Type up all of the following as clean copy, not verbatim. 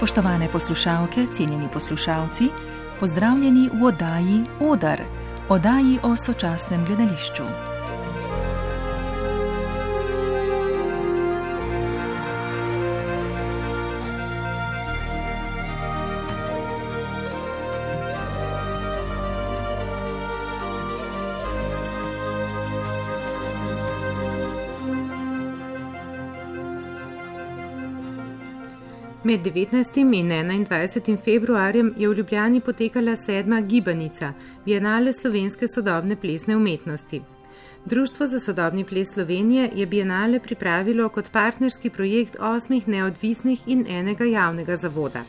Spoštovane poslušalke, cenjeni poslušalci, pozdravljeni v oddaji Odar, oddaji o sočasnem gledališču. Med 19. in 21. februarjem je v Ljubljani potekala 7. gibanica, Bienale slovenske sodobne plesne umetnosti. Društvo za sodobni ples Slovenije je Bienale pripravilo kot partnerski projekt 8 neodvisnih in enega javnega zavoda.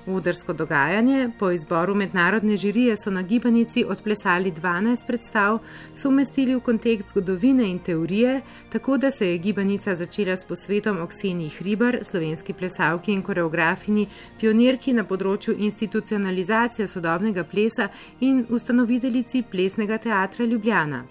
Odarsko dogajanje, po izboru mednarodne žirije so na gibanici odplesali 12 predstav, so umestili v kontekst zgodovine in teorije, tako da se je gibanica začela s posvetom o Kseniji Hribar, slovenski plesalki in koreografini, pionirki na področju institucionalizacije sodobnega plesa in ustanoviteljici Plesnega teatra Ljubljana.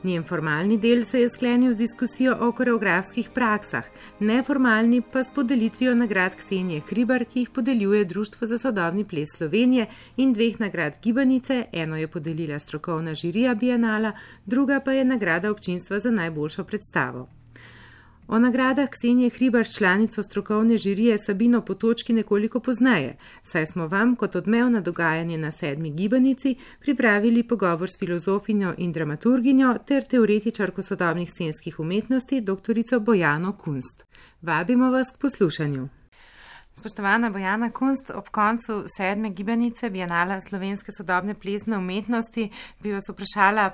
Njen formalni del se je sklenil z diskusijo o koreografskih praksah, neformalni pa s podelitvijo nagrad Ksenije Hribar, ki jih podeljuje Društvo za sodobni ples Slovenije, in 2 nagrad gibanice, eno je podelila strokovna žirija Bienala, druga pa je nagrada občinstva za najboljšo predstavo. O nagradah Ksenije Hribar članico strokovne žirije Sabino Potočki nekoliko pozneje, saj smo vam kot odmev na dogajanje na 7. gibanici pripravili pogovor s filozofinjo in dramaturginjo ter teoretičarko sodobnih scenskih umetnosti dr. Bojano Kunst. Vabimo vas k poslušanju. Spoštovana Bojana Kunst, ob koncu 7. gibanice Bienala slovenske sodobne plesne umetnosti bi vas vprašala,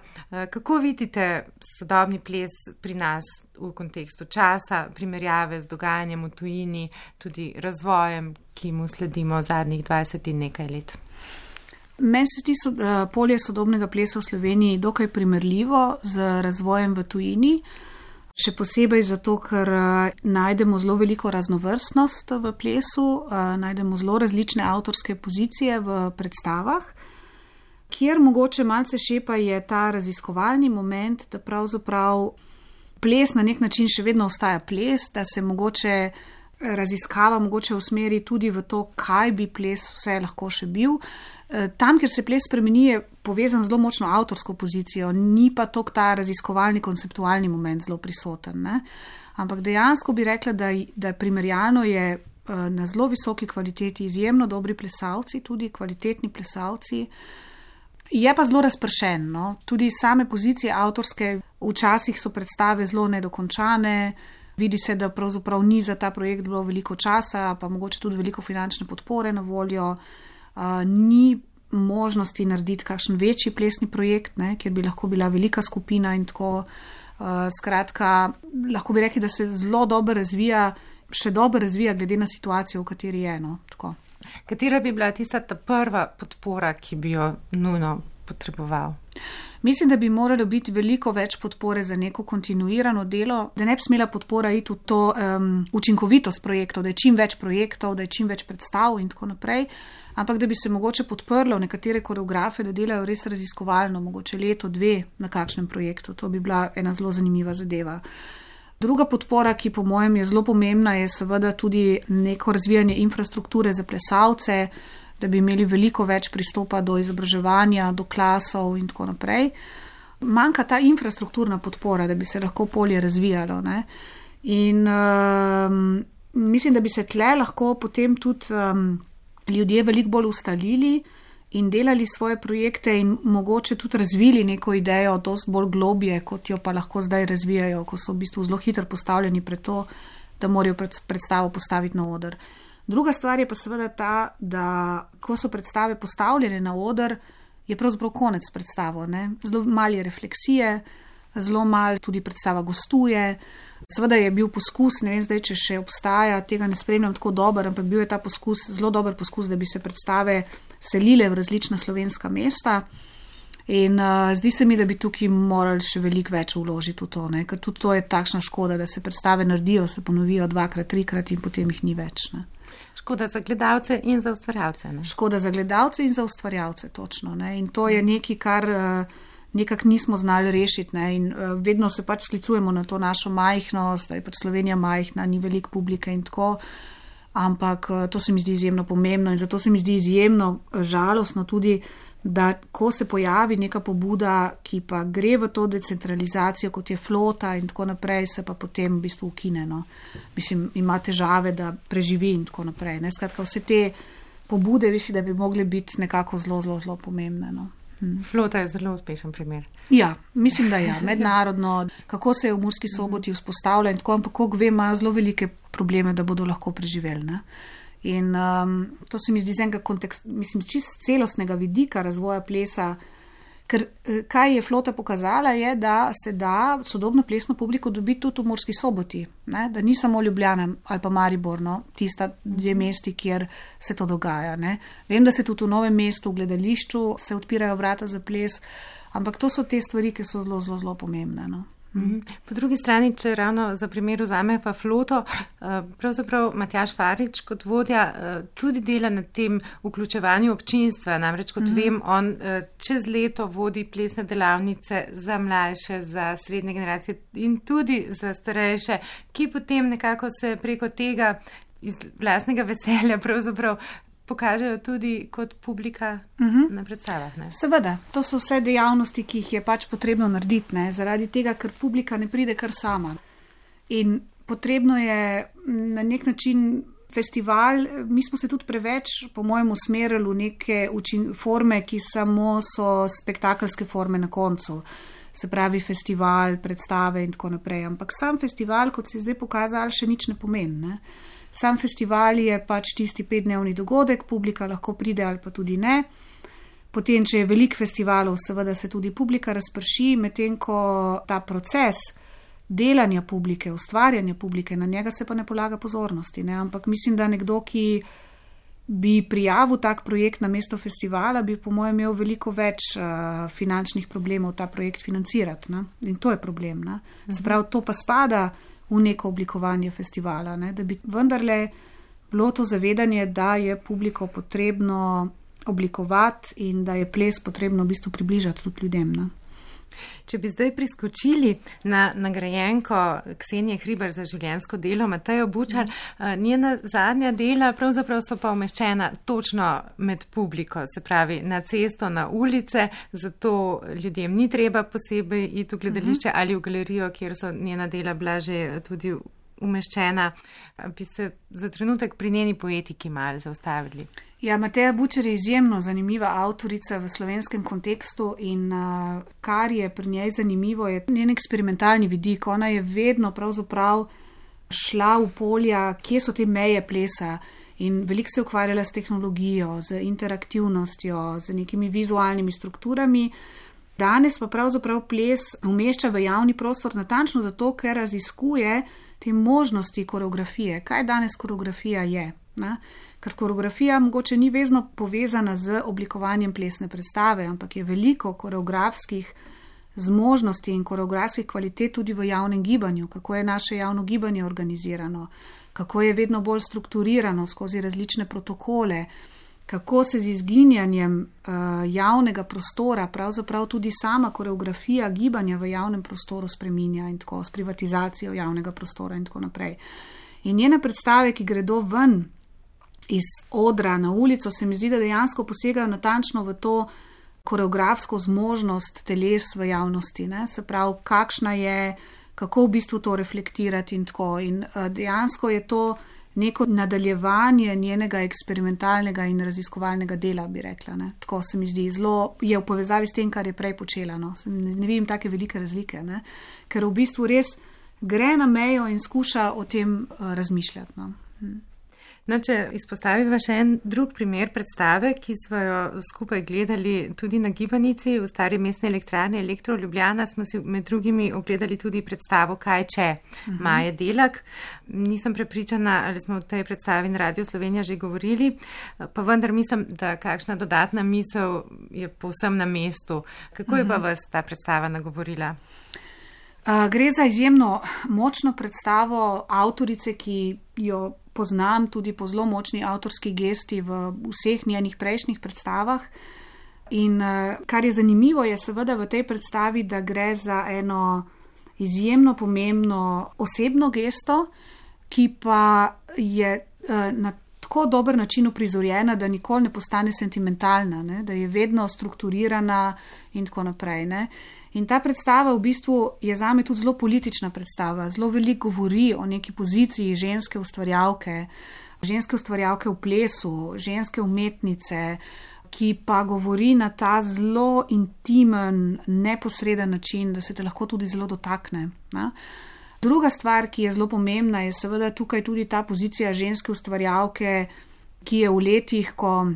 kako vidite sodobni ples pri nas v kontekstu časa, primerjave z dogajanjem v tujini, tudi razvojem, ki mu sledimo zadnjih 20 in nekaj let. Meni se zdi polje sodobnega plesa v Sloveniji dokaj primerljivo z razvojem v tujini. Še posebej zato, ker najdemo zelo veliko raznovrstnost v plesu, najdemo zelo različne avtorske pozicije v predstavah, kjer mogoče malce šepa je ta raziskovalni moment, da pravzaprav ples na nek način še vedno ostaja ples, da se mogoče raziskava mogoče usmeri tudi v to, kaj bi ples vse lahko še bil. Tam, kjer se ples spremeni, je povezan zelo močno avtorsko pozicijo, ni pa tok ta raziskovalni, konceptualni moment zelo prisoten. Ne? Ampak dejansko bi rekla, da primerjalno je na zelo visoki kvaliteti izjemno dobri plesalci, tudi kvalitetni plesalci. Je pa zelo razpršen, no? Tudi same pozicije avtorske, včasih so predstave zelo nedokončane, vidi se, da pravzaprav ni za ta projekt bilo veliko časa, pa mogoče tudi veliko finančne podpore na voljo. Ni možnosti narediti kakšen večji plesni projekt, ne, kjer bi lahko bila velika skupina in tako. Skratka, lahko bi rekli, da se zelo dobro razvija, še dobro razvija glede na situacijo, v kateri je. No, tako. Katera bi bila tista ta prva podpora, ki bi jo nujno potreboval? Mislim, da bi moralo biti veliko več podpore za neko kontinuirano delo, da ne bi smela podpora iti v to učinkovitost projektov, da je čim več projektov, da je čim več predstav in tako naprej, ampak da bi se mogoče podprlo nekatere koreografe, da delajo res raziskovalno, mogoče leto, 2 na kakšnem projektu. To bi bila ena zelo zanimiva zadeva. Druga podpora, ki po mojem je zelo pomembna, je seveda tudi neko razvijanje infrastrukture za plesalce, da bi imeli veliko več pristopa do izobraževanja, do klasov in tako naprej. Manjka ta infrastrukturna podpora, da bi se lahko polje razvijalo. Ne? In mislim, da bi se tle lahko potem tudi ljudje veliko bolj ustalili in delali svoje projekte in mogoče tudi razvili neko idejo dosti bolj globje, kot jo pa lahko zdaj razvijajo, ko so v bistvu zelo hitro postavljeni pred to, da morajo predstavo postaviti na oder. Druga stvar je pa seveda ta, da ko so predstave postavljene na oder, je pravzaprav konec predstavo. Ne? Zelo malo je refleksije, zelo malo tudi predstava gostuje. Seveda je bil poskus, ne vem zdaj, če še obstaja, tega ne spremljam tako dober, ampak bil je ta poskus, zelo dober poskus, da bi se predstave selile v različna slovenska mesta. In zdi se mi, da bi tukaj morali še veliko več vložiti v to, ne? Ker tudi to je takšna škoda, da se predstave naredijo, se ponovijo 2-krat, 3-krat in potem jih ni več. Ne? Škoda za gledalce in za ustvarjalce. Ne? Škoda za gledalce in za ustvarjalce, točno. Ne? In to je nekaj, kar nekako nismo znali rešiti. Ne? In vedno se pač sklicujemo na to našo majhnost, da je pač Slovenija majhna, ni veliko publike in tako. ampak to se mi zdi izjemno pomembno in zato se mi zdi izjemno žalostno tudi, da ko se pojavi neka pobuda, ki pa gre v to decentralizacijo, kot je flota in tako naprej, se pa potem v bistvu ukine. No. Mislim, ima težave, da preživi in tako naprej. Ne. Skratka, vse te pobude, da bi mogle biti nekako zelo, zelo, zelo pomembne. No. Flota je zelo uspešen primer. Ja, mislim, da ja. Mednarodno, kako se je v Murski Soboti vzpostavlja in tako, ampak kako vem, imajo zelo velike probleme, da bodo lahko preživeli. Ne. In to se mi zdi z enega čist celostnega vidika razvoja plesa, ker kaj je flota pokazala je, da se da sodobno plesno publiko dobiti tudi v Murski Soboti, ne? Da ni samo Ljubljana ali pa Maribor, no? Tista 2 mesti, kjer se to dogaja. Ne? Vem, da se tudi v Novem mestu, v gledališču se odpirajo vrata za ples, ampak to so te stvari, ki so zelo, zelo, zelo pomembne. No? Po drugi strani, če ravno za primer vzame pa floto, pravzaprav Matjaž Farič kot vodja tudi dela na tem vključevanju občinstva, namreč kot vem, on čez leto vodi plesne delavnice za mlajše, za srednje generacije in tudi za starejše, ki potem nekako se preko tega iz vlastnega veselja pravzaprav pokažejo tudi kot publika na predstavah. Ne? Seveda, to so vse dejavnosti, ki jih je pač potrebno narediti, ne? Zaradi tega, ker publika ne pride kar sama. In potrebno je na nek način festival, mi smo se tudi preveč, po mojem, usmerili v neke forme, ki samo so spektakelske forme na koncu. Se pravi festival, predstave in tako naprej. Ampak sam festival, kot se je zdaj pokazal, še nič ne pomeni. Ne? Sam festival je pač tisti 5-dnevni dogodek, publika lahko pride ali pa tudi ne. Potem, če je veliko festivalov, seveda se tudi publika razprši, medtem ko ta proces delanja publike, ustvarjanja publike, na njega se pa ne polaga pozornosti. Ne? Ampak mislim, da nekdo, ki bi prijavil tak projekt na mesto festivala, bi po mojem imel veliko več finančnih problemov ta projekt financirati. Ne? In to je problem. Ne? Se pravi, to pa spada v neko oblikovanje festivala, ne? Da bi vendarle bilo to zavedanje, da je publiko potrebno oblikovati in da je ples potrebno v bistvu približati tudi ljudem. Ne? Če bi zdaj priskočili na nagrajenko Ksenije Hribar za življenjsko delo, Matejo Bučar, njena zadnja dela pravzaprav so pa umeščena točno med publiko, se pravi na cesto, na ulice, zato ljudem ni treba posebej iti v gledališče ali v galerijo, kjer so njena dela bila že tudi umeščena. Bi se za trenutek pri njeni poetiki malo zaustavili. Ja, Mateja Bučar je izjemno zanimiva avtorica v slovenskem kontekstu in kar je pri njej zanimivo, je njen eksperimentalni vidik. Ona je vedno pravzaprav šla v polja, kje so te meje plesa in veliko se ukvarjala s tehnologijo, z interaktivnostjo, z nekimi vizualnimi strukturami. Danes pa pravzaprav ples umešča v javni prostor natančno zato, ker raziskuje te možnosti koreografije. Kaj danes koreografija je? Ne? Ker koreografija mogoče ni vezno povezana z oblikovanjem plesne predstave, ampak je veliko koreografskih zmožnosti in koreografskih kvalitet tudi v javnem gibanju, kako je naše javno gibanje organizirano, kako je vedno bolj strukturirano skozi različne protokole, kako se z izginjanjem javnega prostora pravzaprav tudi sama koreografija gibanja v javnem prostoru spreminja in tako s privatizacijo javnega prostora in tako naprej. In njene predstave, ki gredo ven iz odra na ulico, se mi zdi, da dejansko posegajo natančno v to koreografsko zmožnost teles v javnosti. Ne? Se pravi, kakšna je, kako v bistvu to reflektirati in tako. In dejansko je to neko nadaljevanje njenega eksperimentalnega in raziskovalnega dela, bi rekla. Ne? Tako se mi zdi, zelo je v povezavi s tem, kar je prej počela. No? Ne vidim take velike razlike, ne? Ker v bistvu res gre na mejo in skuša o tem razmišljati. No? No, če izpostaviva še en drug primer predstave, ki smo jo skupaj gledali tudi na Gibanici v stari mestni elektrarni Elektro Ljubljana, smo si med drugimi ogledali tudi predstavo Kaj če? Maje Delak. Nisem prepričana, ali smo v tej predstavi na Radio Slovenija že govorili, pa vendar mislim, da kakšna dodatna misel je povsem na mestu. Kako je pa vas ta predstava nagovorila? Gre za izjemno močno predstavo avtorice, ki jo poznam tudi po zelo močni avtorski gesti v vseh njenih prejšnjih predstavah. In kar je zanimivo, je seveda v tej predstavi, da gre za eno izjemno pomembno osebno gesto, ki pa je na tako dober način uprizorjena, da nikoli ne postane sentimentalna, ne? Da je vedno strukturirana in tako naprej. Ne? In ta predstava v bistvu je zame tudi zelo politična predstava, zelo veliko govori o neki poziciji ženske ustvarjalke v plesu, ženske umetnice, ki pa govori na ta zelo intimen, neposreden način, da se te lahko tudi zelo dotakne. Ne? Druga stvar, ki je zelo pomembna, je seveda tukaj tudi ta pozicija ženske ustvarjalke, ki je v letih, ko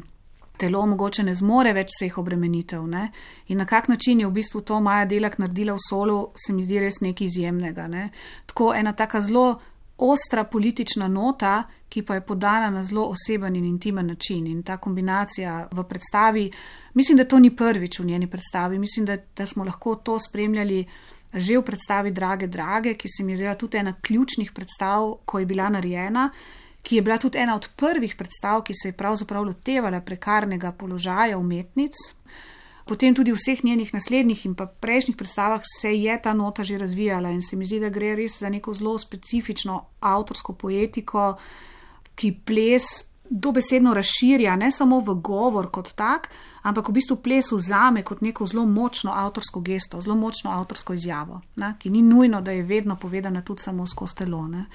telo mogoče ne zmore več vseh obremenitev. Ne? In na kak način je v bistvu to Maja Delak naredila v Solu, se mi zdi res nekaj izjemnega. Ne? Tako ena taka zelo ostra politična nota, ki pa je podana na zelo oseben in intimen način. In ta kombinacija v predstavi, mislim, da to ni prvič v njeni predstavi, mislim, da smo lahko to spremljali že v predstavi Drage, ki se mi je zdela tudi ena ključnih predstav, ko je bila narejena, ki je bila tudi ena od prvih predstav, ki se je pravzaprav lotevala prekarnega položaja umetnic. Potem tudi v vseh njenih naslednjih in pa prejšnjih predstavah se je ta nota že razvijala in se mi zdi, da gre res za neko zelo specifično avtorsko poetiko, ki ples dobesedno razširja, ne samo v govor kot tak, ampak v bistvu ples vzame kot neko zelo močno avtorsko gesto, zelo močno avtorsko izjavo, ne? Ki ni nujno, da je vedno povedana tudi samo skozi telo. Ne?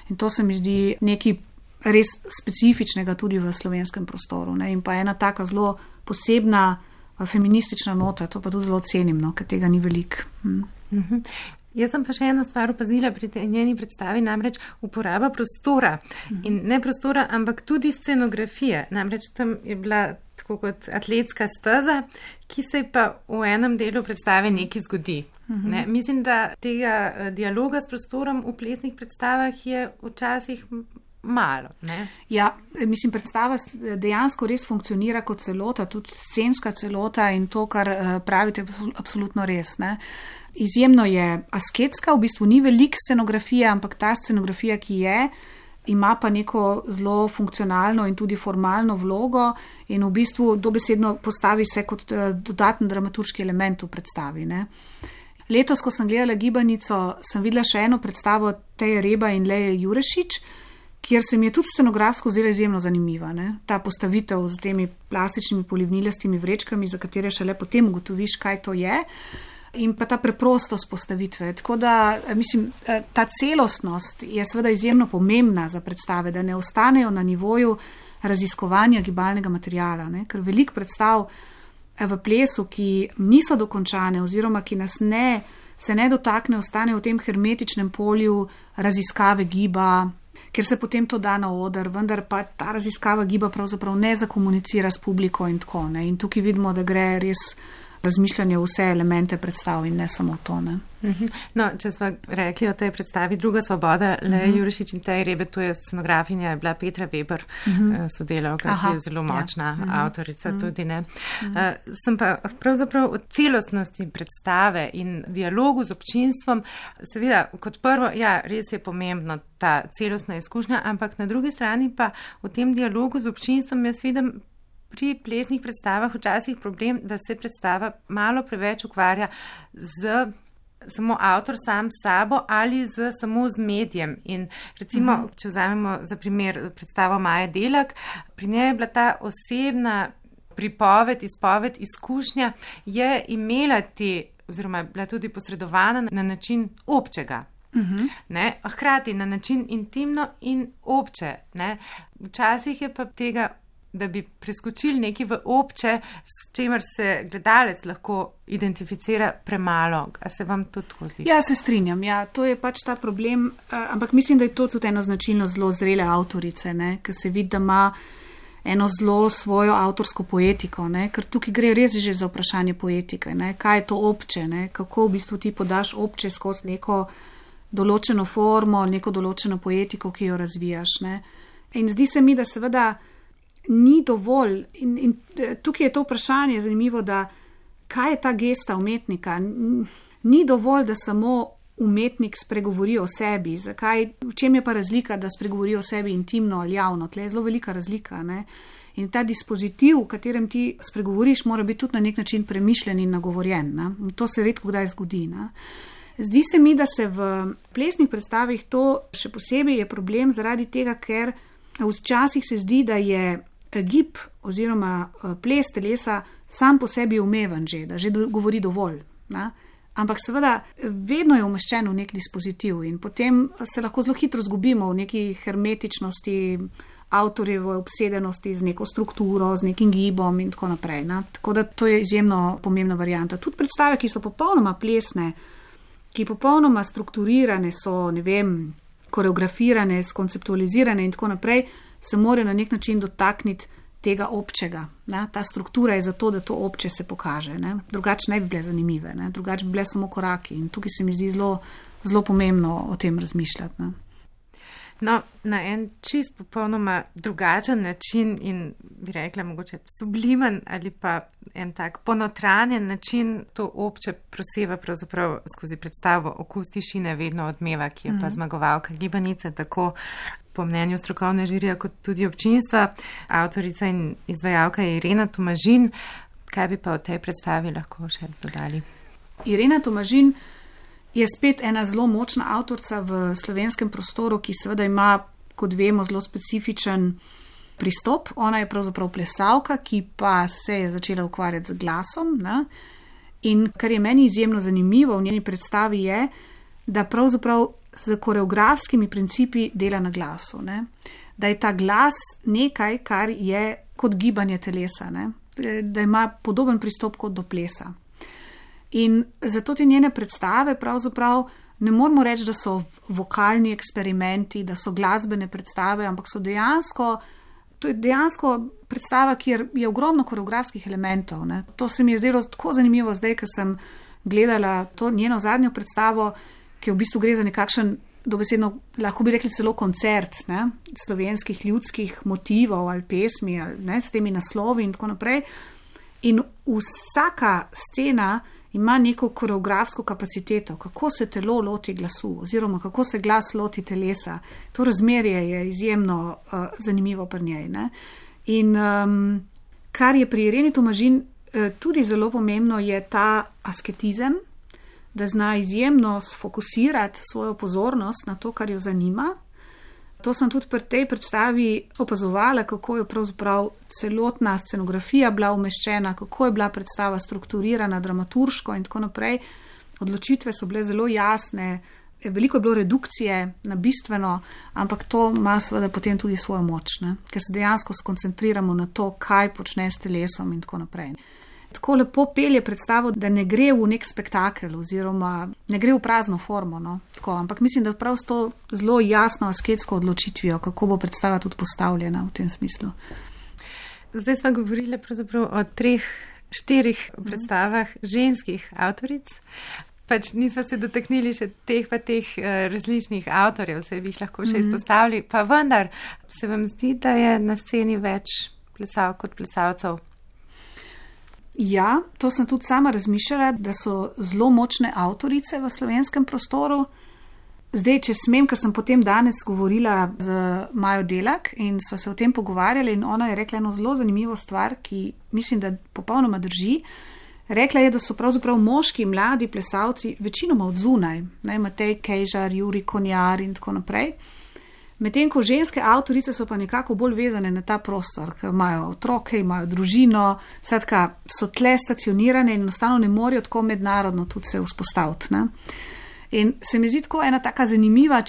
In to se mi zdi nekaj res specifičnega tudi v slovenskem prostoru. Ne? In pa ena taka zelo posebna feministična nota, to pa tudi zelo cenim, no? Ker tega ni veliko. Jaz sem pa še eno stvar opazila pri njeni predstavi, namreč uporaba prostora. In ne prostora, ampak tudi scenografije. Namreč tam je bila tako kot atletska steza, ki se pa v enem delu predstave nekaj zgodi. Ne? Mislim, da tega dialoga s prostorom v plesnih predstavah je včasih malo. Ne? Ja, mislim, predstava dejansko res funkcionira kot celota, tudi scenska celota in to, kar pravite, absolutno res. Ne? Izjemno je asketska, v bistvu ni veliko scenografije, ampak ta scenografija, ki je, ima pa neko zelo funkcionalno in tudi formalno vlogo in v bistvu dobesedno postavi se kot dodaten dramaturški element v predstavi. Ne? Letos, ko sem gledala Gibanico, sem videla še eno predstavo Teje Reba in Leje Jurešič, kjer se mi je tudi scenografsko zdela izjemno zanimiva. Ne? Ta postavitev z temi plastičnimi polivnilastimi vrečkami, za katere šele potem ugotoviš, kaj to je, in pa ta preprostost postavitve. Tako da, mislim, ta celostnost je seveda izjemno pomembna za predstave, da ne ostanejo na nivoju raziskovanja gibalnega materiala, ne? Ker veliko predstav v plesu, ki niso dokončane oziroma ki nas se ne dotakne, ostane v tem hermetičnem polju raziskave giba, ker se potem to da na oder, vendar pa ta raziskava giba pravzaprav ne zakomunicira s publiko in tako. Ne? In tukaj vidimo, da gre res razmišljanje v vse elemente predstav in ne samo to. Ne? No, če smo rekli o tej predstavi Druga svoboda, Leja Jurešič in Teja Rebe, to je scenografinja, je bila Petra Weber, sodelavka, ki je zelo močna avtorica tudi. Ne? Sem pa pravzaprav od celostnosti predstave in dialogu z občinstvom, seveda, kot prvo, ja, res je pomembno ta celostna izkušnja, ampak na drugi strani pa v tem dialogu z občinstvom jaz vidim pri plesnih predstavah včasih problem, da se predstava malo preveč ukvarja z samo avtor sam s sabo ali samo z medijem. In recimo, če vzamemo za primer predstavo Maje Delak, pri njej je bila ta osebna pripoved, izpoved, izkušnja, je imela oziroma je bila tudi posredovana na način občega. Ne? Hkrati na način intimno in obče. Ne? Včasih je pa tega, da bi preskočili nekaj v obče, s čemer se gledalec lahko identificira premalo. A se vam to tako zdi? Ja, se strinjam. Ja, to je pač ta problem, ampak mislim, da je to tudi ena značilnost zelo zrele avtorice, ne? Ker se vidi, da ima eno zelo svojo avtorsko poetiko, ne? Ker tukaj gre res že za vprašanje poetike. Ne? Kaj je to obče? Ne? Kako v bistvu ti podaš obče skozi neko določeno formo, neko določeno poetiko, ki jo razvijaš. Ne? In zdi se mi, da seveda ni dovolj, in tukaj je to vprašanje zanimivo, da kaj je ta gesta umetnika? Ni dovolj, da samo umetnik spregovori o sebi. Zakaj? V čem je pa razlika, da spregovori o sebi intimno ali javno? Tle je zelo velika razlika. Ne? In ta dispozitiv, v katerem ti spregovoriš, mora biti tudi na nek način premišljen in nagovorjen. Ne? In to se redko kdaj zgodi. Ne? Zdi se mi, da se v plesnih predstavih to še posebej je problem zaradi tega, ker Včasih se zdi, da je gib oziroma ples telesa sam po sebi umeven že, da že govori dovolj. Ne? Ampak seveda vedno je umeščen v nek dispozitiv in potem se lahko zelo hitro zgubimo v neki hermetičnosti, avtorjevo obsedenosti z neko strukturo, z nekim gibom in tako naprej. Ne? Tako da to je izjemno pomembna varianta. Tudi predstave, ki so popolnoma plesne, ki popolnoma strukturirane so, ne vem, koreografirane, skonceptualizirane in tako naprej, se morajo na nek način dotakniti tega občega. Ne? Ta struktura je zato, da to obče se pokaže. Ne? Drugače ne bi bile zanimive, ne? Drugače bi bile samo koraki in tukaj se mi zdi zelo pomembno o tem razmišljati. Ne? No, na en čist popolnoma drugačen način in bi rekla mogoče sublimen ali pa en tak ponotranjen način to obče proseva pravzaprav skozi predstavo Okus tišine vedno odmeva, ki je pa zmagovalka gibanice, tako po mnenju strokovne žirije kot tudi občinstva. Avtorica in izvajalka je Irena Tomažin. Kaj bi pa v tej predstavi lahko še dodali? Irena Tomažin je spet ena zelo močna avtorica v slovenskem prostoru, ki seveda ima, kot vemo, zelo specifičen pristop. Ona je pravzaprav plesalka, ki pa se je začela ukvarjati z glasom. Ne? In kar je meni izjemno zanimivo v njeni predstavi je, da pravzaprav z koreografskimi principi dela na glasu. Ne? Da je ta glas nekaj, kar je kot gibanje telesa, ne? Da ima podoben pristop kot do plesa. In zato te njene predstave pravzaprav ne moramo reči, da so vokalni eksperimenti, da so glasbene predstave, ampak so to je dejansko predstava, kjer je ogromno koreografskih elementov. Ne? To se mi je zdelo tako zanimivo zdaj, ko sem gledala to njeno zadnjo predstavo, ki v bistvu gre za nekakšen, dobesedno, lahko bi rekli celo koncert, ne? Slovenskih ljudskih motivov ali pesmi, ali, ne? S temi naslovi in tako naprej. In vsaka scena ima neko koreografsko kapaciteto, kako se telo loti glasu oziroma kako se glas loti telesa. To razmerje je izjemno zanimivo pri njej. Ne? In kar je pri Ireni Tomažin tudi zelo pomembno, je ta asketizem, da zna izjemno sfokusirati svojo pozornost na to, kar jo zanima. To sem tudi pri tej predstavi opazovala, kako je pravzaprav celotna scenografija bila umeščena, kako je bila predstava strukturirana, dramaturško in tako naprej. Odločitve so bile zelo jasne, veliko je bilo redukcije na bistveno, ampak to ima seveda potem tudi svojo moč, ne? Ker se dejansko skoncentriramo na to, kaj počne s telesom in tako naprej. Tako lepo pelje predstavo, da ne gre v nek spektakel oziroma ne gre v prazno formo. No? Tako, ampak mislim, da prav s to zelo jasno asketsko odločitvijo, kako bo predstava tudi postavljena v tem smislu. Zdaj smo govorili pravzaprav o 3-4 predstavah ženskih avtoric. Pač nismo se dotaknili še teh različnih avtorjev, se bi jih lahko še izpostavili. Pa vendar se vam zdi, da je na sceni več plesalk kot plesalcev? Ja, to sem tudi sama razmišljala, da so zelo močne avtorice v slovenskem prostoru. Zdaj, če smem, ker sem potem danes govorila z Majo Delak in sva se o tem pogovarjali in ona je rekla eno zelo zanimivo stvar, ki mislim, da popolnoma drži. Rekla je, da so pravzaprav moški, mladi plesalci večinoma od zunaj, ne, Matej Kejžar, Jurij Konjar in tako naprej. Medtem ko ženske avtorice so pa nekako bolj vezane na ta prostor, ker imajo otroke, imajo družino, skratka so tle stacionirane in enostavno ne morejo tako mednarodno tudi se vzpostaviti. Ne? In se mi zdi tako ena taka zanimiva,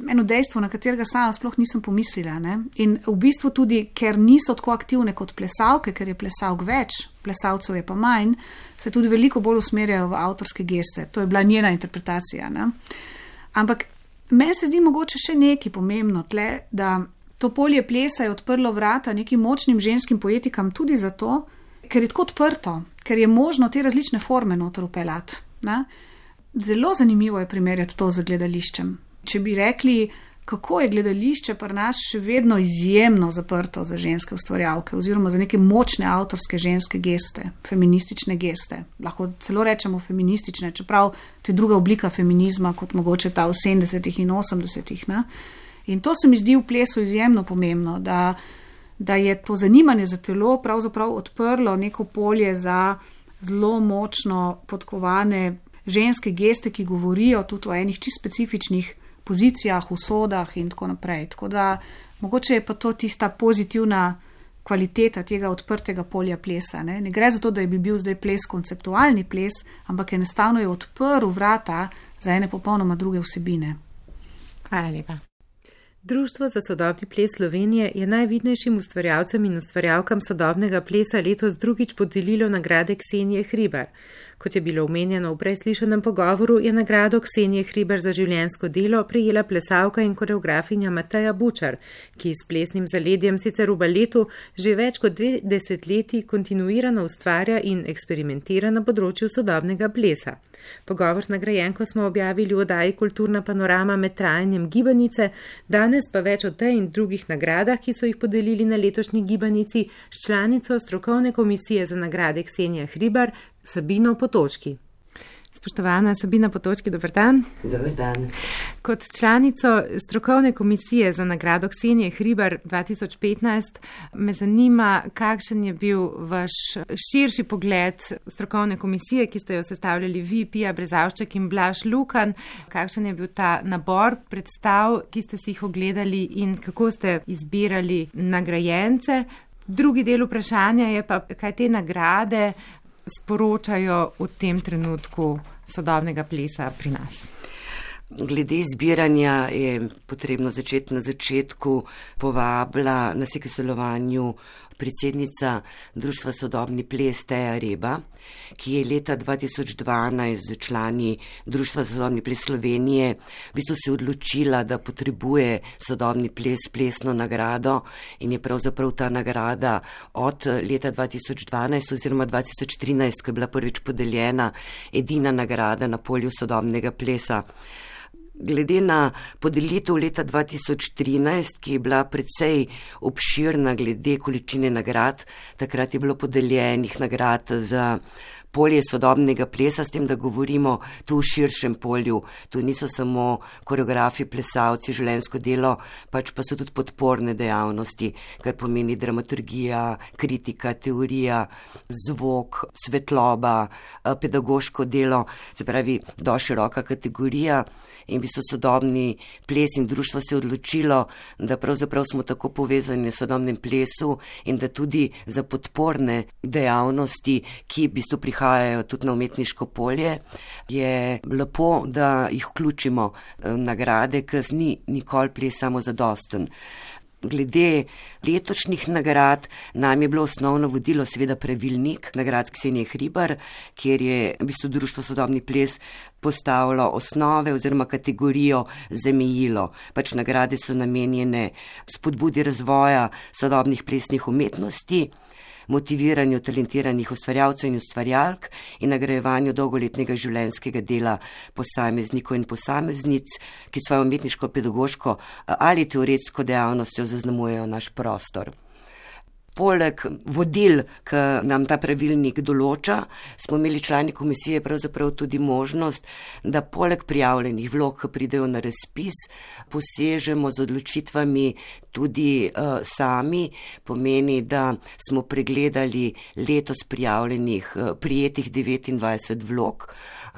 eno dejstvo, na katerega sama sploh nisem pomislila. Ne? In v bistvu tudi, ker niso tako aktivne kot plesalke, ker je plesalk več, plesalcev je pa manj, se tudi veliko bolj usmerjajo v avtorske geste. To je bila njena interpretacija. Ne? Ampak meni se zdi mogoče še nekaj pomembno tle, da to polje plesa je odprlo vrata nekim močnim ženskim poetikam tudi zato, ker je tako odprto, ker je možno te različne forme noter upeljati. Zelo zanimivo je primerjati to z gledališčem. Če bi rekli, kako je gledališče pri nas še vedno izjemno zaprto za ženske ustvarjalke oziroma za neke močne avtorske ženske geste, feministične geste. Lahko celo rečemo feministične, čeprav to je druga oblika feminizma, kot mogoče ta v 70-ih in 80-ih. Ne? In to se mi zdi v plesu izjemno pomembno, da je to zanimanje za telo pravzaprav odprlo neko polje za zelo močno podkovane ženske geste, ki govorijo tudi o enih čisto specifičnih pozicijah, usodah in tako naprej. Tako da mogoče je pa to tista pozitivna kvaliteta tega odprtega polja plesa. Ne gre za to, da bi bil zdaj ples konceptualni ples, ampak enostavno je odprl vrata za ene popolnoma druge vsebine. Hvala lepa. Društvo za sodobni ples Slovenije je najvidnejšim ustvarjalcem in ustvarjalkam sodobnega plesa letos drugič podelilo nagrade Ksenije Hribar. Kot je bilo omenjeno v preslišanem pogovoru, je nagrado Ksenije Hribar za življenjsko delo prejela plesalka in koreografinja Mateja Bučar, ki s plesnim zaledjem sicer v baletu že več kot 2 desetletji kontinuirano ustvarja in eksperimentira na področju sodobnega plesa. Pogovor z nagrajenko smo objavili v oddaji Kulturna panorama med trajanjem gibanice, danes pa več o tej in drugih nagradah, ki so jih podelili na letošnji gibanici, s članico strokovne komisije za nagrade Ksenija Hribar, Sabino Potočki. Spoštovana Sabina Potočki, dober dan. Dober dan. Kot članico strokovne komisije za nagrado Ksenije Hribar 2015 me zanima, kakšen je bil vaš širši pogled strokovne komisije, ki ste jo sestavljali vi, Pija Brezavšček in Blaž Lukan. Kakšen je bil ta nabor predstav, ki ste si jih ogledali in kako ste izbirali nagrajence? Drugi del vprašanja je pa, kaj te nagrade sporočajo v tem trenutku sodobnega plesa pri nas. Glede zbiranja je potrebno začeti na začetku. Povabila nas je k sodelovanju predsednica Društva sodobni ples Teja Reba, ki je leta 2012 z člani Društva sodobni ples Slovenije v bistvu se odločila, da potrebuje sodobni ples plesno nagrado in je pravzaprav ta nagrada od leta 2012 oziroma 2013, ko je bila prvič podeljena, edina nagrada na polju sodobnega plesa. Glede na podelitev leta 2013, ki je bila precej obširna glede količine nagrad, takrat je bilo podeljenih nagrad za polje sodobnega plesa, s tem, da govorimo tu v širšem polju. Tu niso samo koreografi, plesalci, življenjsko delo, pač pa so tudi podporne dejavnosti, kar pomeni dramaturgija, kritika, teorija, zvok, svetloba, pedagoško delo, se pravi, dosti široka kategorija. In bi so sodobni ples in društvo se odločilo, da pravzaprav smo tako povezani s sodobnim plesu in da tudi za podporne dejavnosti, ki v bistvu prihajajo tudi na umetniško polje, je lepo, da jih vključimo nagrade, ker ni nikoli ples samo zadosten. Glede letošnjih nagrad nam je bilo osnovno vodilo seveda pravilnik nagrad Ksenije Hribar, kjer je v bistvu društvo sodobni ples postavilo osnove oziroma kategorijo zamejilo. Pač nagrade so namenjene spodbudi razvoja sodobnih plesnih umetnosti, motiviranju talentiranih ustvarjalcev in ustvarjalk in nagrajevanju dolgoletnega življenjskega dela posameznikov in posameznic, ki svojo umetniško, pedagoško ali teoretsko dejavnostjo zaznamujejo naš prostor. Poleg vodil, ki nam ta pravilnik določa, smo imeli člani komisije pravzaprav tudi možnost, da poleg prijavljenih vlog, ki pridejo na razpis, posežemo z odločitvami tudi sami. Pomeni, da smo pregledali letos prijetih 29 vlog,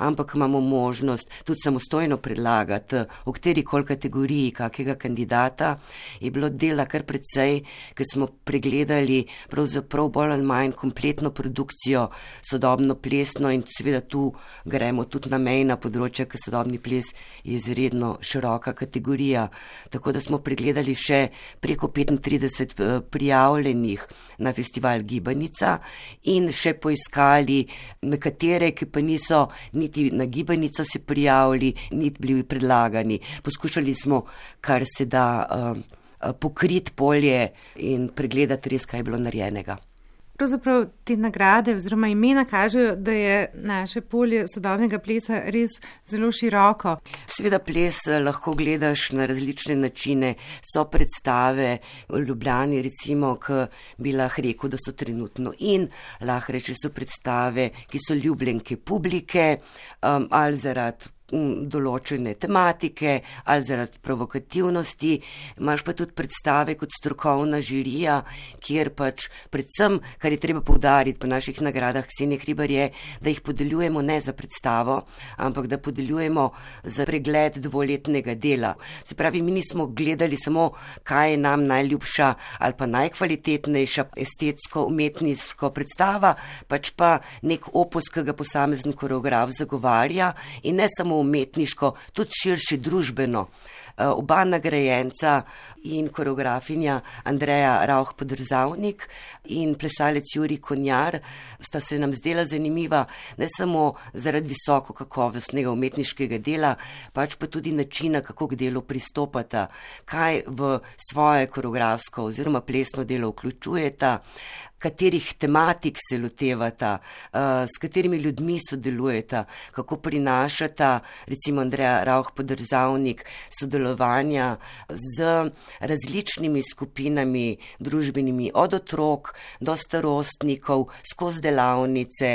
ampak imamo možnost tudi samostojno predlagati v katerikoli kategoriji kakega kandidata. Je bilo dela kar precej, ker smo pregledali pravzaprav bolj ali manj kompletno produkcijo sodobno plesno in seveda tu gremo tudi na mejna področja, ker sodobni ples je izredno široka kategorija. Tako da smo pregledali še preko 35 prijavljenih na festival Gibanica in še poiskali nekatere, ki pa niso niti na Gibanico se prijavili, niti bili predlagani. Poskušali smo, kar se da, pokriti polje in pregledati res, kaj je bilo narejenega. Pravzaprav te nagrade oziroma imena kažejo, da je naše polje sodobnega plesa res zelo široko. Seveda ples lahko gledaš na različne načine. So predstave v Ljubljani, recimo, ki bi lahko rekel, da so trenutno in lahko reči, so predstave, ki so ljubljenke publike ali zaradi določene tematike ali zaradi provokativnosti. Imaš pa tudi predstave kot strokovna žirija, kjer pač predvsem, kar je treba poudariti po naših nagradah Ksenije Hribar je, da jih podeljujemo ne za predstavo, ampak da podeljujemo za pregled dvoletnega dela. Se pravi, mi nismo gledali samo, kaj je nam najljubša ali pa najkvalitetnejša estetsko umetniško predstava, pač pa nek opus, ki ga posamezen koreograf zagovarja in ne samo umetniško, tudi širše družbeno. Oba nagrajenca in koreografinja Andreja Rauch-Podrzavnik in plesalec Jurij Konjar sta se nam zdela zanimiva ne samo zaradi visoko kakovostnega umetniškega dela, pač pa tudi načina, kako k delu pristopata, kaj v svoje koreografsko oziroma plesno delo vključujeta, katerih tematik se lotevata, s katerimi ljudmi sodelujeta, kako prinašata, recimo Andreja Rauch-Podrzavnik, sodelovanja z različnimi skupinami družbenimi, od otrok do starostnikov, skozi delavnice,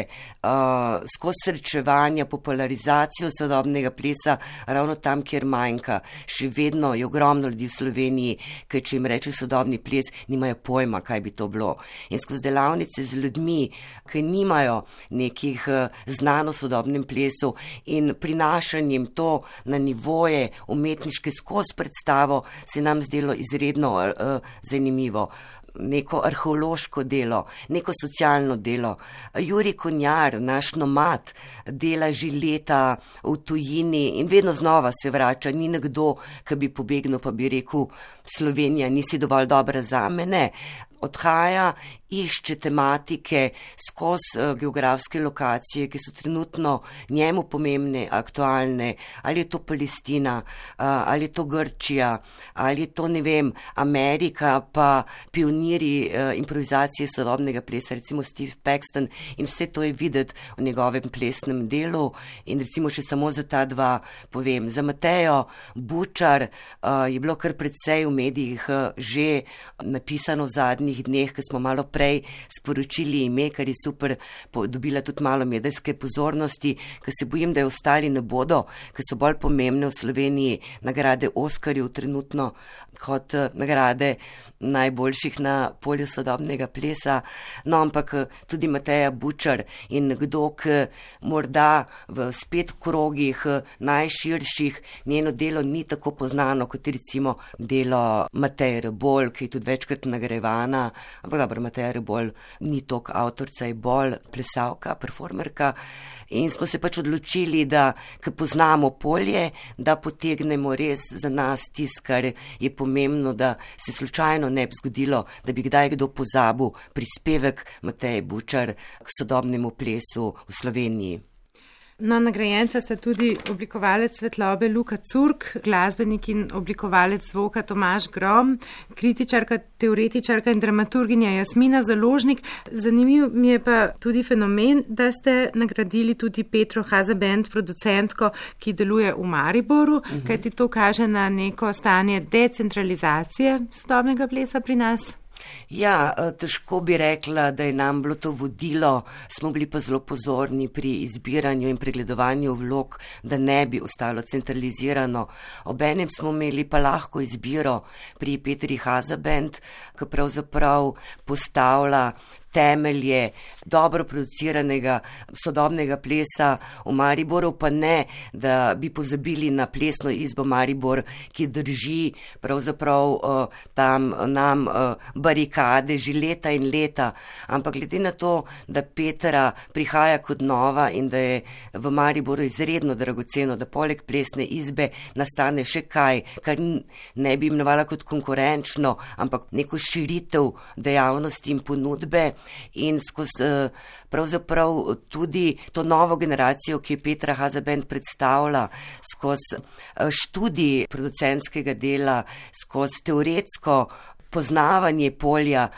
skozi srečevanja, popularizacijo sodobnega plesa, ravno tam, kjer manjka. Še vedno je ogromno ljudi v Sloveniji, ki če jim reče sodobni ples, nimajo pojma, kaj bi to bilo. In skozi delavnice z ljudmi, ki nimajo nekih znanj o sodobnem plesu in prinašanjem to na nivoje umetniške skozi predstavo, se nam zdelo izredno zanimivo. Neko arheološko delo, neko socialno delo. Jurij Konjar, naš nomad, dela že leta v tujini in vedno znova se vrača. Ni nekdo, ki bi pobegnil pa bi rekel, Slovenija, nisi dovolj dobra zame, ne. Odhaja, išče tematike skozi geografske lokacije, ki so trenutno njemu pomembne, aktualne, ali je to Palestina, ali je to Grčija, ali je to, ne vem, Amerika, pa pionirji improvizacije sodobnega plesa, recimo Steve Paxton, in vse to je videti v njegovem plesnem delu. In recimo še samo za ta dva povem. Za Matejo Bučar je bilo kar precej v medijih že napisano v zadnjih dneh, ki smo malo prej sporočili ime, kar je super, dobila tudi malo medijske pozornosti, ker se bojim, da jo ostali ne bodo, ker so bolj pomembne v Sloveniji nagrade Oskarjev trenutno kot nagrade najboljših na polju sodobnega plesa. No, ampak tudi Mateja Bučar in nekdo, ki morda v spet krogih najširših njeno delo ni tako poznano kot recimo delo Mateje Rebolj, ki je tudi večkrat nagrajevana, ampak dobro, Mateja Rebolj ni toliko avtorica, je bolj plesalka, performerka. In smo se pač odločili, da, ker poznamo polje, da potegnemo res za nas tisto, kar je pomembno, da se slučajno ne bi zgodilo, da bi kdaj kdo pozabil prispevek Mateje Bučar k sodobnemu plesu v Sloveniji. No, nagrajenca sta tudi oblikovalec svetlobe Luka Curk, glasbenik in oblikovalec zvoka Tomaž Grom, kritičarka, teoretičarka in dramaturginja Jasmina Založnik. Zanimiv mi je pa tudi fenomen, da ste nagradili tudi Petro Hazabend, producentko, ki deluje v Mariboru, kajti to kaže na neko stanje decentralizacije sodobnega plesa pri nas. Ja, težko bi rekla, da je nam bilo to vodilo, smo bili pa zelo pozorni pri izbiranju in pregledovanju vlog, da ne bi ostalo centralizirano. Obenem smo imeli pa lahko izbiro pri Petri Hazabend, ki pravzaprav postavlja temelje dobro produciranega sodobnega plesa v Mariboru, pa ne, da bi pozabili na plesno izbo Maribor, ki drži pravzaprav tam nam barikade že leta in leta. Ampak glede na to, da Petra prihaja kot nova in da je v Mariboru izredno dragoceno, da poleg plesne izbe nastane še kaj, kar ne bi imenovala kot konkurenčno, ampak neko širitev dejavnosti in ponudbe. In skozi pravzaprav tudi to novo generacijo, ki je Petra Hazabend predstavlja, skozi študij producentskega dela, skozi teoretsko poznavanje polja,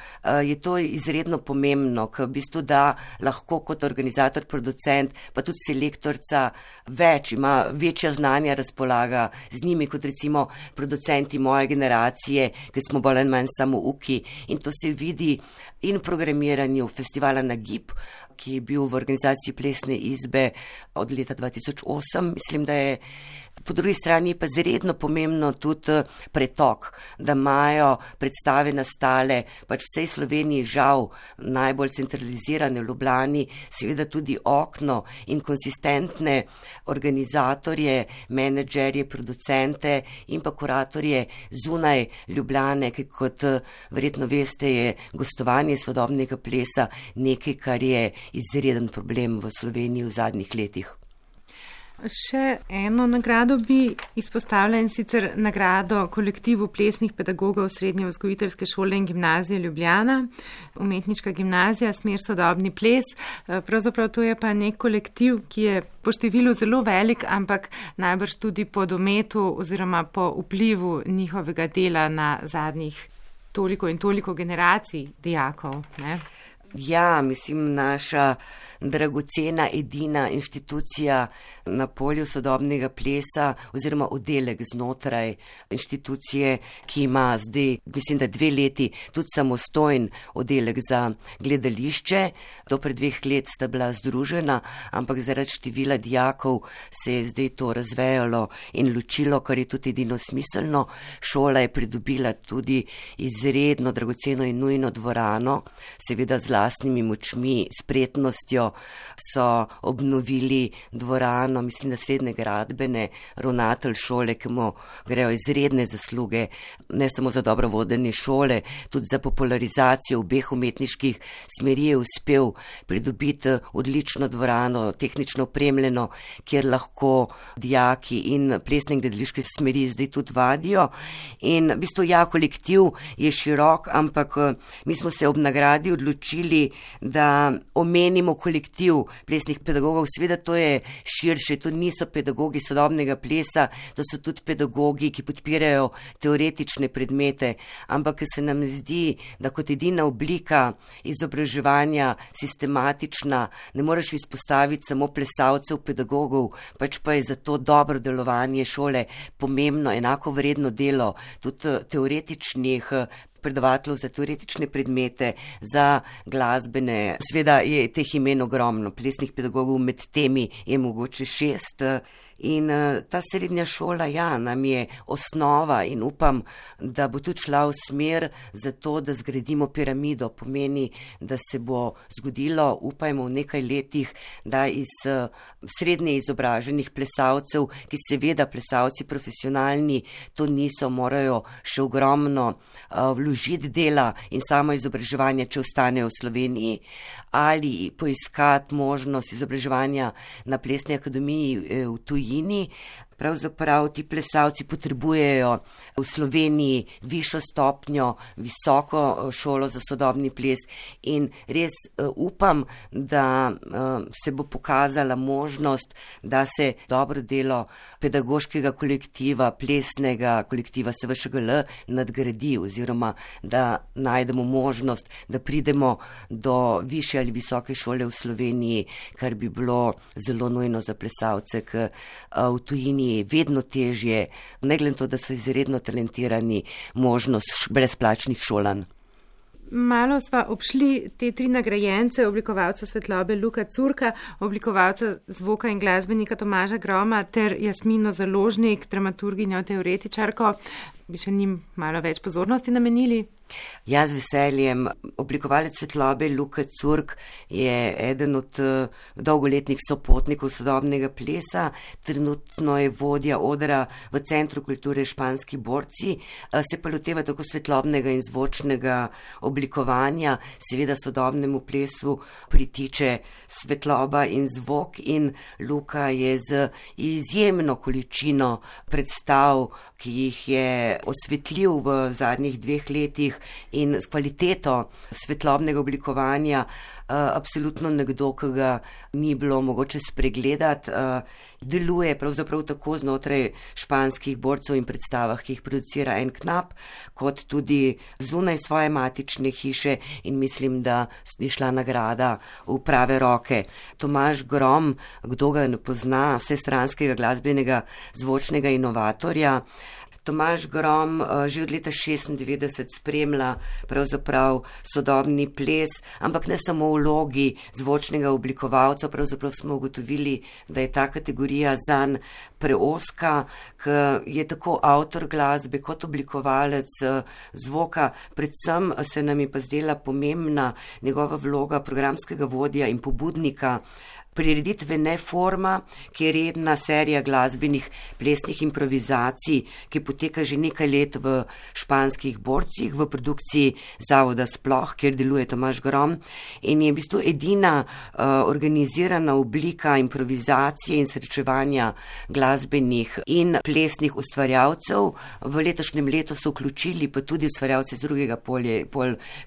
je to izredno pomembno, ker v bistvu da lahko kot organizator, producent, pa tudi selektorca več, ima večja znanja, razpolaga z njimi kot recimo producenti moje generacije, ki smo bolj ali manj samo uki. In to se vidi in v programiranju festivala Nagib, ki je bil v organizaciji Plesne izbe od leta 2008. Mislim, da je po drugi strani pa izredno pomembno tudi pretok, da imajo predstave nastale pač vsej Sloveniji, žal najbolj centralizirane v Ljubljani, seveda tudi okno in konsistentne organizatorje, menedžerje, producente in pa kuratorje zunaj Ljubljane, ki kot verjetno veste, je gostovanje sodobnega plesa nekaj, kar je izreden problem v Sloveniji v zadnjih letih. Še eno nagrado bi izpostavila, in sicer nagrado kolektivu plesnih pedagogov Srednje vzgojiteljske šole in gimnazije Ljubljana, umetniška gimnazija, smer sodobni ples. Pravzaprav to je pa nek kolektiv, ki je po številu zelo velik, ampak najbrž tudi po dometu oziroma po vplivu njihovega dela na zadnjih toliko in toliko generacij dijakov, ne? Ja, mislim, naša dragocena edina inštitucija na polju sodobnega plesa oziroma oddelek znotraj inštitucije, ki ima zdaj, mislim, da 2 leti tudi samostojen oddelek za gledališče. Do pred 2 let sta bila združena, ampak zaradi števila dijakov se je zdaj to razvejalo in ločilo, kar je tudi edino smiselno. Šola je pridobila tudi izredno dragoceno in nujno dvorano, seveda z lastnimi močmi, spretnostjo so obnovili dvorano, mislim, naslednje gradbene, ravnatelj šole, ki mu grejo izredne zasluge, ne samo za dobro vodenje šole, tudi za popularizacijo obeh umetniških smeri je uspel pridobiti odlično dvorano, tehnično opremljeno, kjer lahko dijaki in plesne in gledališke smeri zdaj tudi vadijo. In v bistvu ja, kolektiv je širok, ampak mi smo se ob nagradi odločili, da omenimo kolektiv plesnih pedagogov. Seveda to je širše, to niso pedagogi sodobnega plesa, to so tudi pedagogi, ki podpirajo teoretične predmete, ampak se nam zdi, da kot edina oblika izobraževanja sistematična, ne moreš izpostaviti samo plesalcev, pedagogov, pač pa je za to dobro delovanje šole pomembno, enako vredno delo tudi teoretičnih predavateljev za teoretične predmete, za glasbene. Sveda je teh imen ogromno, plesnih pedagogov med temi je mogoče 6. In ta srednja šola, ja, nam je osnova in upam, da bo tudi šla v smer za to, da zgradimo piramido. Pomeni, da se bo zgodilo, upajmo v nekaj letih, da iz srednje izobraženih plesalcev, ki seveda plesalci profesionalni to niso, morajo še ogromno vložiti dela in samo izobraževanje, če ostanejo v Sloveniji, ali poiskati možnost izobraževanja na plesni akademiji v tujini. Pravzaprav ti plesalci potrebujejo v Sloveniji višjo stopnjo, visoko šolo za sodobni ples in res upam, da se bo pokazala možnost, da se dobro delo pedagoškega kolektiva, plesnega kolektiva SVŠGL nadgradi oziroma da najdemo možnost, da pridemo do višje ali visoke šole v Sloveniji, kar bi bilo zelo nujno za plesalce, ker v tujini je vedno težje, ne glede na to, da so izredno talentirani, možnost brezplačnih šolanj. Malo sva obšli te 3 nagrajence, oblikovalca svetlobe Luka Curka, oblikovalca zvoka in glasbenika Tomaža Groma ter Jasmino Založnik, dramaturginjo, teoretičarko. Bi še njim malo več pozornosti namenili? Jaz z veseljem. Oblikovalec svetlobe Luka Curk je eden od dolgoletnih sopotnikov sodobnega plesa, trenutno je vodja odra v Centru kulture Španski borci, se pa loteva tako svetlobnega in zvočnega oblikovanja, seveda sodobnemu plesu pritiče svetloba in zvok in Luka je z izjemno količino predstav, ki jih je osvetljiv v zadnjih 2 letih in s kvaliteto svetlobnega oblikovanja absolutno nekdo, ki ga ni bilo mogoče spregledati. Deluje pravzaprav tako znotraj španskih borcev in predstavah, ki jih producira en knap, kot tudi zunaj svoje matične hiše in mislim, da je šla nagrada v prave roke. Tomaž Grom, kdo ga ne pozna, vsestranskega glasbenega zvočnega inovatorja, Tomaž Grom že od leta 1996 spremlja pravzaprav sodobni ples, ampak ne samo v vlogi zvočnega oblikovalca, pravzaprav smo ugotovili, da je ta kategorija zanj preoska, ker je tako avtor glasbe kot oblikovalec zvoka. Predvsem se nam je pa zdela pomembna njegova vloga programskega vodja in pobudnika prireditve Neforma, ki je redna serija glasbenih plesnih improvizacij, ki poteka že nekaj let v Španskih borcih, v produkciji Zavoda Sploh, kjer deluje Tomaž Grom, in je v bistvu edina organizirana oblika improvizacije in srečevanja glasbenih in plesnih ustvarjalcev. V letošnjem letu so vključili pa tudi ustvarjalce z drugega polja,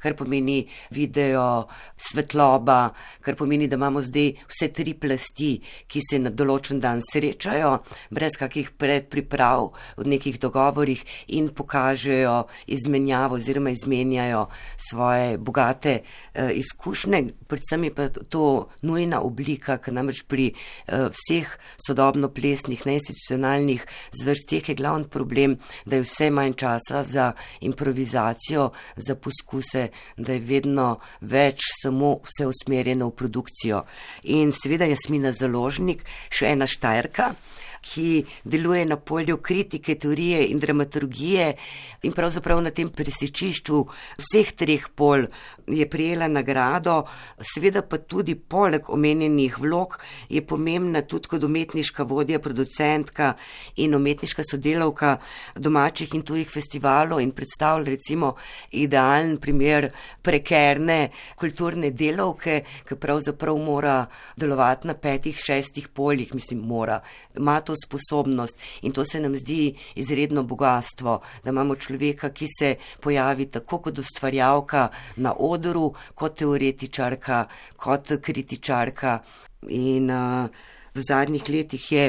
kar pomeni video, svetloba, kar pomeni, da imamo zdaj vse 3 plasti, ki se na določen dan srečajo, brez kakih predpriprav, v nekih dogovorih in pokažejo izmenjavo oziroma izmenjajo svoje bogate izkušnje. Predvsem je pa to nujna oblika, ker namreč pri vseh sodobno-plesnih, neinstitucionalnih zvrsteh je glavni problem, da je vse manj časa za improvizacijo, za poskuse, da je vedno več samo vse usmerjeno v produkcijo. In seveda Jasmina Založnik, še ena Štajerka, ki deluje na polju kritike, teorije in dramaturgije in pravzaprav na tem presečišču vseh 3 pol je prejela nagrado. Seveda pa tudi poleg omenjenih vlog je pomembna tudi kot umetniška vodja, producentka in umetniška sodelavka domačih in tujih festivalov in predstavlja recimo idealen primer prekerne kulturne delavke, ki pravzaprav mora delovati na 5-6 poljih, ima to sposobnost in to se nam zdi izredno bogatstvo, da imamo človeka, ki se pojavi tako kot ustvarjalka na odru, kot teoretičarka, kot kritičarka in v zadnjih letih je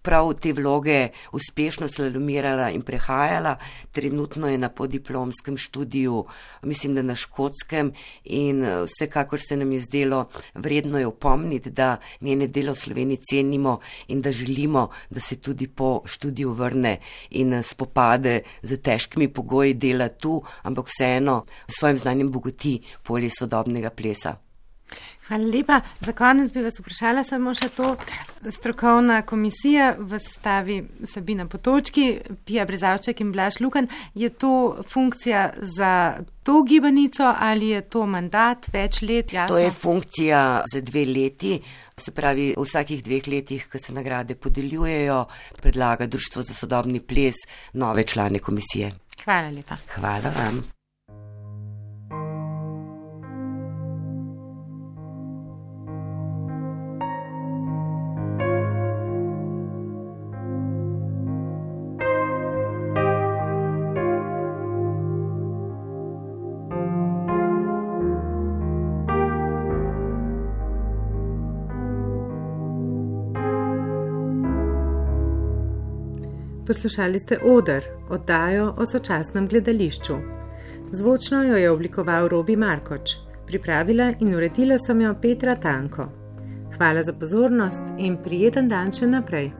prav te vloge uspešno slalomirala in prehajala. Trenutno je na podiplomskem študiju, mislim, da na Škotskem, in vsekakor se nam je zdelo vredno je opomniti, da njene delo v Sloveniji cenimo in da želimo, da se tudi po študiju vrne in spopade z težkimi pogoji dela tu, ampak vseeno s svojim znanjem bogati polje sodobnega plesa. Hvala lepa. Za konec bi vas vprašala samo še to. Strokovna komisija v sestavi Sabina Potočki, Pija Brezavček in Blaž Lukan, je to funkcija za to gibanico ali je to mandat več let? Jasno? To je funkcija za 2 leti, se pravi v vsakih 2 letih, ko se nagrade podeljujejo, predlaga Društvo za sodobni ples nove člane komisije. Hvala lepa. Hvala vam. Poslušali ste Oder, oddajo o sočasnem gledališču. Zvočno jo je oblikoval Robi Markoč, pripravila in uredila sem jo Petra Tanko. Hvala za pozornost in prijeten dan še naprej.